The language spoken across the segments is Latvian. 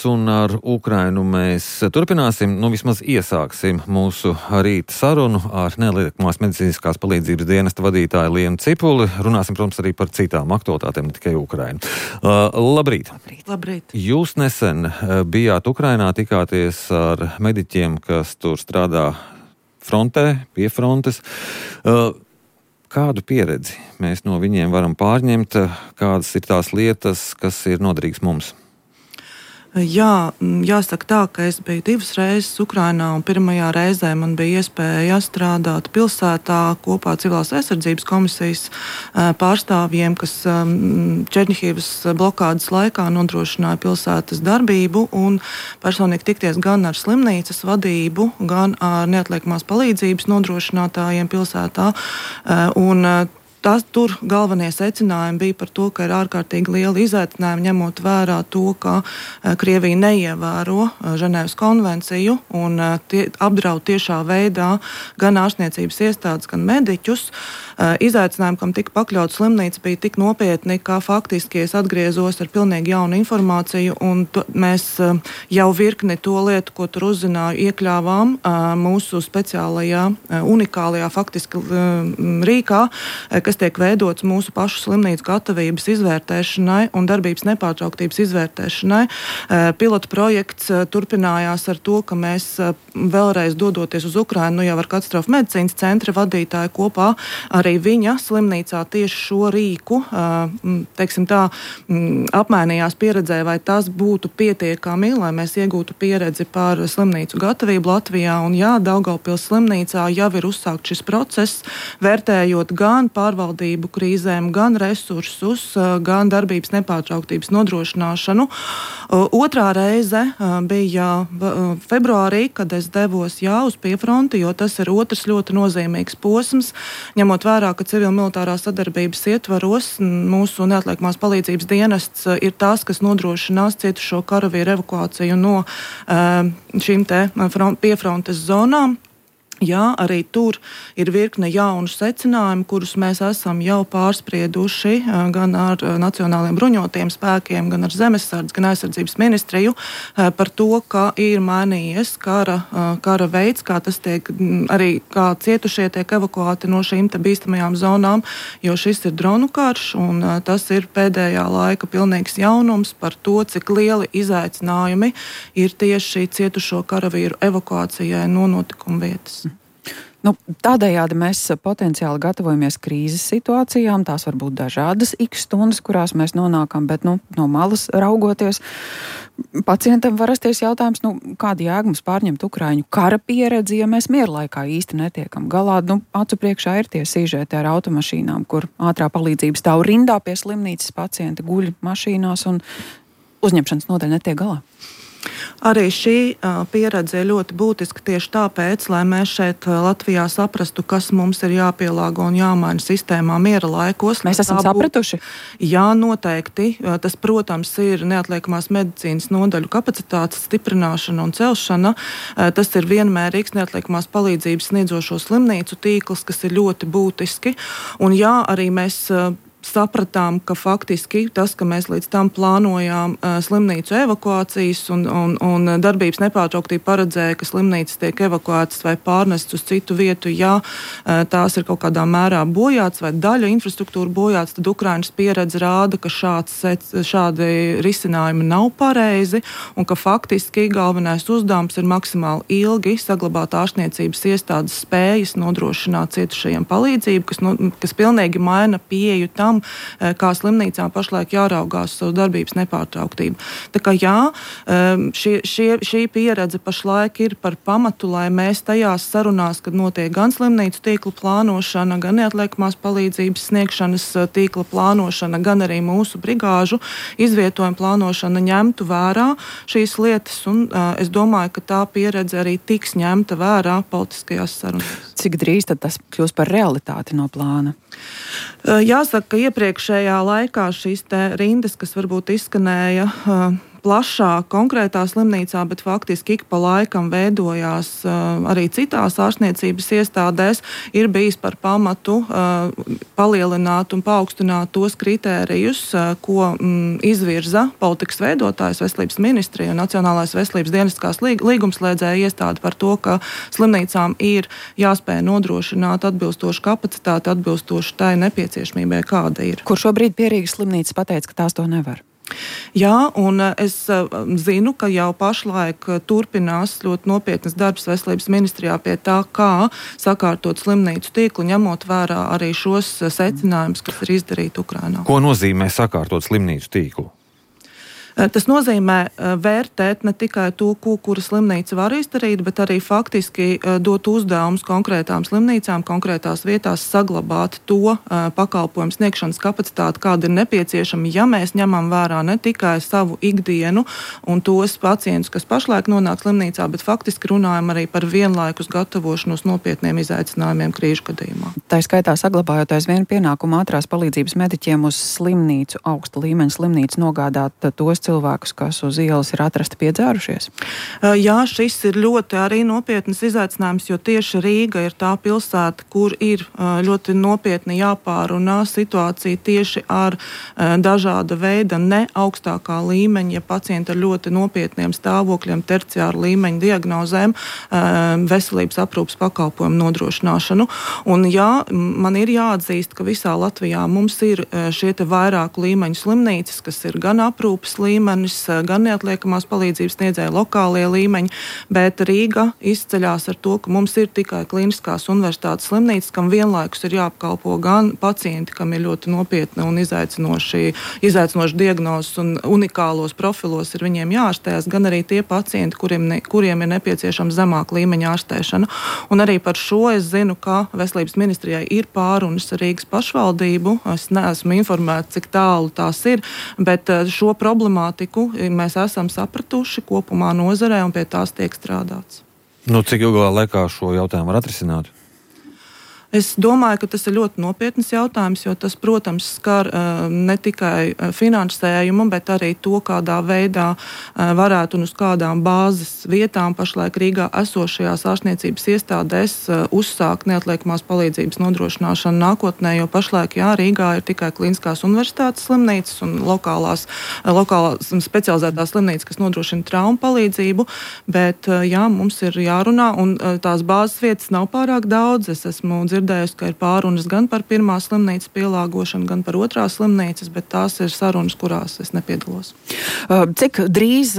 un ar Ukrainu mēs turpināsim, vismaz iesāksim mūsu rīta sarunu ar nelieliekamās medicīniskās palīdzības dienesta vadītāju Lienu Cipuli. Runāsim, protams, arī par citām aktualitātēm, ne tikai Ukrainu. Labrīt! Labrīt! Jūs nesen bijāt Ukrainā, tikāties ar mediķiem, kas tur strādā frontē, pie frontes. Kādu pieredzi mēs no viņiem varam pārņemt, kādas ir tās lietas, kas ir noderīgas mums? Jā, jāsaka tā, ka es biju 2 reizes Ukrainā, un pirmajā reizē man bija iespēja strādāt pilsētā kopā Civilās aizsardzības komisijas pārstāvjiem, kas Černihivas blokādes laikā nodrošināja pilsētas darbību, un personīgi tikties gan ar slimnīcas vadību, gan ar neatliekamās palīdzības nodrošinātājiem pilsētā. Tur galvenie secinājumi bija par to, ka ir ārkārtīgi liela izaicinājuma, ņemot vērā to, ka Krievija neievēro Ženēvas konvenciju un apdraud tiešā veidā gan ārstniecības iestādes, gan mediķus. Izaicinājumi, kam tika pakļauts slimnīca, bija tik nopietni, ka faktiski es atgriezos ar pilnīgi jaunu informāciju, un mēs jau virkni to lietu, ko tur uzzināju, iekļāvām mūsu speciālajā, unikālajā faktiski rīkā, kas tiek veidots mūsu pašu slimnīcu gatavības izvērtēšanai un darbības nepārtrauktības izvērtēšanai. Pilota projekts turpinājās ar to, ka mēs vēlreiz dodoties uz Ukrainu, jau ar katastrofu medicīnas centra vadītāju kopā, arī viņa slimnīcā tieši šo rīku, teiksim tā, apmainījās pieredzē, vai tas būtu pietiekami, lai mēs iegūtu pieredzi par slimnīcu gatavību Latvijā. Un jā, Daugavpils slimnīcā jau ir uzsākt šis process, vērtējot gan pārvaldību krīzēm, gan resursus, gan darbības nepārtrauktības nodrošināšanu. Otrā reize bija februārī, kad es devos uz piefronti, jo tas ir otrs ļoti nozīmīgs posms, ņemot vērā, ka civil-militārā sadarbības ietvaros mūsu neatliekamās palīdzības dienests ir tās, kas nodrošinās cietušo karavīru evakuāciju no šīm te piefrontes zonām. Jā, arī tur ir virkne jaunu secinājumu, kurus mēs esam jau pārsprieduši gan ar nacionāliem bruņotajiem spēkiem, gan ar zemesardzi, gan aizsardzības ministriju par to, ka ir mainījies kara veids, kā tas tiek, arī kā cietušie tiek evakuēti no šīm te bīstamajām zonām, jo šis ir dronu karš, un tas ir pēdējā laika pilnīgs jaunums par to, cik lieli izaicinājumi ir tieši cietušo karavīru evakuācijai no notikuma vietas. Tādējādi mēs potenciāli gatavojamies krīzes situācijām, tās var būt dažādas x stundas, kurās mēs nonākam, bet no malas raugoties, pacientam var rasties jautājums, kāda jēga mums pārņemt Ukraiņu kara pieredzi, ja mēs mierlaikā īsti netiekam galā. Acu priekšā ir tie sīžeti ar automašīnām, kur ātrā palīdzība stāv rindā pie slimnīcas, pacienti guļ mašīnās un uzņemšanas nodaļa netiek galā. Arī šī pieredze ir ļoti būtiska tieši tāpēc, lai mēs šeit Latvijā saprastu, kas mums ir jāpielāgo un jāmaina sistēmā miera laikos. Mēs esam sapratuši? Jā, noteikti. Tas, protams, ir neatliekamās medicīnas nodaļu kapacitātes stiprināšana un celšana. Tas ir vienmērīgs neatliekamās palīdzības sniedzošo slimnīcu tīkls, kas ir ļoti būtiski. Un jā, arī mēs sapratām, ka faktiski tas, ka mēs līdz tam plānojām slimnīcu evakuācijas un darbības nepārtrauktība paredzēja, ka slimnīcas tiek evakuētas vai pārnestas uz citu vietu, ja tās ir kaut kādā mērā bojāts vai daļa infrastruktūra bojāts, tad Ukrainas pieredze rāda, ka šādi risinājumi nav pareizi un ka faktiski galvenais uzdevums ir maksimāli ilgi saglabāt ārstniecības iestādes spējas nodrošināt cietušajiem palīdzību, kas pilnīgi maina pieeju tam, kā slimnīcām pašlaik jāraugās savu darbības nepārtrauktību. Tā kā jā, šī pieredze pašlaik ir par pamatu, lai mēs tajās sarunās, kad notiek gan slimnīcu tīkla plānošana, gan neatliekamās palīdzības sniegšanas tīkla plānošana, gan arī mūsu brigāžu izvietojuma plānošana ņemtu vērā šīs lietas, un es domāju, ka tā pieredze arī tiks ņemta vērā politiskajās sarunās. Cik drīz tad tas kļūs par realitāti no plāna? Jāsaka, ka iepriekšējā laikā šīs te rindas, kas varbūt izskanēja plašāk konkrētā slimnīcā, bet faktiski ik pa laikam veidojās arī citās ārstniecības iestādēs, ir bijis par pamatu palielināt un paaugstināt tos kritērijus, ko izvirza politikas veidotājs, Veselības ministrija un Nacionālais veselības dienestiskās līgumslēdzēja iestāde par to, ka slimnīcām ir jāspēj nodrošināt atbilstošu kapacitāti, atbilstošu tai nepieciešamībai, kāda ir. Kur šobrīd Pierīgas slimnīca pateica, ka tās to nevar? Jā, un es zinu, ka jau pašlaik turpinās ļoti nopietnas darbs Veselības ministrijā pie tā, kā sakārtot slimnīcu tīklu, ņemot vērā arī šos secinājumus, kas ir izdarīti Ukrainā. Ko nozīmē sakārtot slimnīcu tīklu? Tas nozīmē vērtēt ne tikai to, kura slimnīca var izdarīt, bet arī faktiski dot uzdevumus konkrētām slimnīcām, konkrētās vietās saglabāt to pakalpojumu sniegšanas kapacitāti, kāda ir nepieciešama, ja mēs ņemam vērā ne tikai savu ikdienu un tos pacientus, kas pašlaik nonāk slimnīcā, bet faktiski runājam arī par vienlaikus gatavošanos nopietniem izaicinājumiem krīžu gadījumā. Tā skaitā saglabājot aizvien pienākumu ātrās palīdzības mediķiem uz slimnīcu, augsta līmeņa slimnīcu nogādāt tos cilvēkus, kas uz ielas ir atrasti piedzērušies? Jā, šis ir ļoti arī nopietnas izaicinājums, jo tieši Rīga ir tā pilsēta, kur ir ļoti nopietni jāpārunā situācija tieši ar dažāda veida ne augstākā līmeņa, ja pacienti ar ļoti nopietniem stāvokļiem, terciāru līmeņa diagnozēm, veselības aprūpas pakalpojumu nodrošināšanu. Un jā, man ir jāatzīst, ka visā Latvijā mums ir šie te vairāku līmeņu slimnīcas, kas ir gan aprūpas līmenis, gan neatliekamās palīdzības sniedzēja lokālie līmeņi, bet Rīga izceļās ar to, ka mums ir tikai kliniskās universitātes slimnīcas, kam vienlaikus ir jāapkalpo gan pacienti, kam ir ļoti nopietni un izaicinoši diagnozes un unikālos profilos ir viņiem jāārstējas, gan arī tie pacienti, kuriem ir nepieciešama zemāka līmeņa ārstēšana. Un arī par šo es zinu, ka Veselības ministrijai ir pārunas ar Rīgas pašvaldību. Es neesmu informēta, cik tālu tās ir, bet šo problemātiku mēs esam sapratuši kopumā nozarē un pie tās tiek strādāts. Cik ilgā laikā šo jautājumu var atrisināt? Es domāju, ka tas ir ļoti nopietns jautājums, jo tas, protams, skar ne tikai finansējumu, bet arī to, kādā veidā varētu un uz kādām bāzes vietām pašlaik Rīgā esošajās ārstniecības iestādēs uzsākt neatliekamās palīdzības nodrošināšanu nākotnē, jo pašlaik, jā, Rīgā ir tikai kliniskās universitātes slimnīcas un lokālās specializētās slimnīcas, kas nodrošina traumu palīdzību, bet, jā, mums ir jārunā, un tās bāzes vietas nav pārāk daudz. Es esmu dzirdējusi, ka ir pārunas gan par pirmās slimnīcas pielāgošanu, gan par otrās slimnīcas, bet tās ir sarunas, kurās es nepiedalos. Cik drīz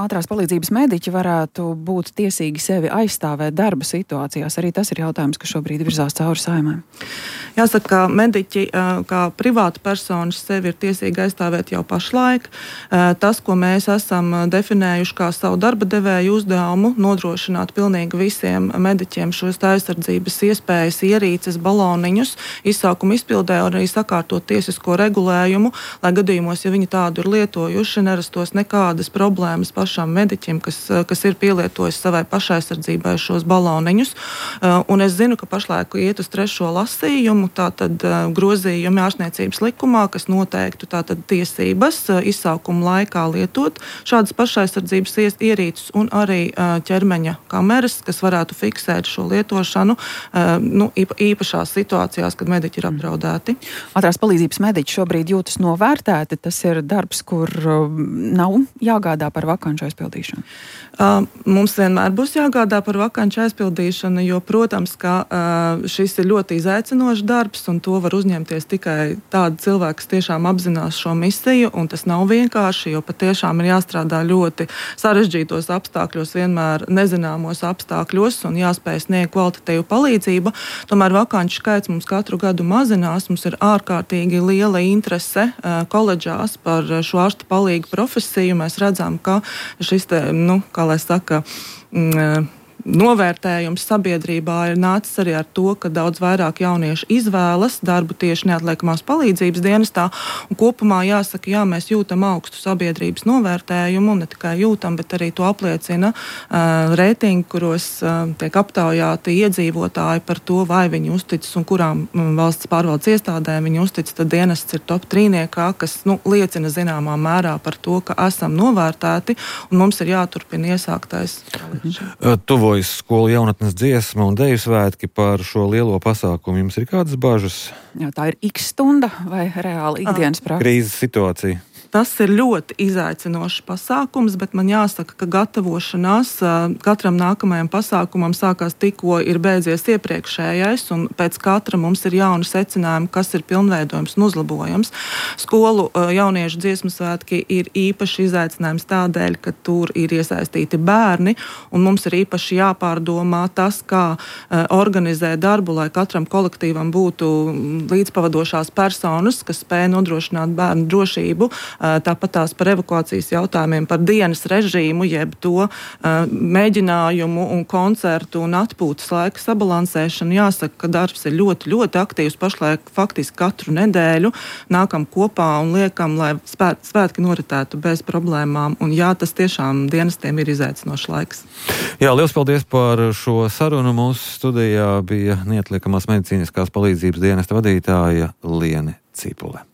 ātrās palīdzības mediķi varētu būt tiesīgi sevi aizstāvēt darba situācijās? Arī tas ir jautājums, kas šobrīd virzās cauri Saeimai. Jāsaka, ka mediķi kā privāta personas sevi ir tiesīgi aizstāvēt jau pašlaik. Tas, ko mēs esam definējuši kā savu darba devēju uzdevumu, nodrošināt pilnīgi visiem mediķiem šos aizsardzības iespējas, ierīces, baloniņus, izsaukumu izpildē un arī sakārtot tiesisko regulējumu, lai gadījumos, ja viņi tādu ir lietojuši, nerastos nekādas problēmas pašam mediķim, kas ir pielietojis savai pašaizsardzībai šos baloniņus. Un es zinu, ka pašlaik iet uz 3. lasījumu, tātad grozījumi ārstniecības likumā, kas noteiktu tātad tiesības izsaukuma laikā lietot šādas pašaizsardzības ierīces un arī ķermeņa kameras, kas varētu fiksēt šo lietošanu īpašās situācijās, kad mediķi ir apdraudēti. Ātrās palīdzības mediķi šobrīd jūtas novērtēti. Tas ir darbs, kur nav jāgādā par vakanču aizpildīšanu. Mums vienmēr būs jāgādā par vakanču aizpildīšanu, jo, protams, ka šis ir ļoti izaicinošs darbs, un to var uzņemties tikai tādi cilvēki, kas tiešām apzinās šo misiju, un tas nav vienkārši, jo patiešām ir jāstrādā ļoti sarežģītos apstākļos, vienmēr nezināmos apstākļos, un jāspēj sniegt kvalitatīvu palīdzību. Tomēr vakanču skaits mums katru gadu mazinās, mums ir ārkārtīgi liela interese koledžās par šo ārsta palīgu profesiju. Mēs redzam, ka šis te, kā lai saka, novērtējums sabiedrībā ir nācis arī ar to, ka daudz vairāk jauniešu izvēlas darbu tieši neatliekamās palīdzības dienestā. Un kopumā jāsaka, jā, mēs jūtam augstu sabiedrības novērtējumu, un ne tikai jūtam, bet arī to apliecina reitingi, kuros tiek aptaujāti iedzīvotāji par to, vai viņi uzticas un kurām valsts pārvaldes iestādēm viņi uzticas. Tad dienests ir top 3, kas liecina zināmā mērā par to, ka esam novērtēti un mums ir jāturpina iesāktais. Tuvojas skolu jaunatnes dziesma un deju svētki par šo lielo pasākumu. Jums ir kādas bažas? Jā, tā ir X stunda vai reāli ikdienas praksa? Krīzes situācija. Tas ir ļoti izaicinošs pasākums, bet man jāsaka, ka gatavošanās katram nākamajam pasākumam sākās tikko ir beidzies iepriekšējais, un pēc katra mums ir jauni secinājumi, kas ir pilnveidojums un uzlabojams. Skolu jauniešu dziesmu svētki ir īpaši izaicinājums tādēļ, ka tur ir iesaistīti bērni, un mums ir īpaši jāpārdomā tas, kā organizēt darbu, lai katram kolektīvam būtu līdzpavadošās personas, kas spēj nodrošināt bērnu drošību. Tāpat tās par evakuācijas jautājumiem, par dienas režīmu, jeb to mēģinājumu un koncertu un atpūtas laika sabalansēšanu. Jāsaka, ka darbs ir ļoti, ļoti aktīvs. Pašlaik faktiski katru nedēļu nākam kopā un liekam, lai svētki noritētu bez problēmām. Un jā, tas tiešām dienestiem ir izaicinošs laiks. Jā, liels paldies par šo sarunu. Mūsu studijā bija neatliekamās medicīniskās palīdzības dienesta vadītāja Liene Cipule.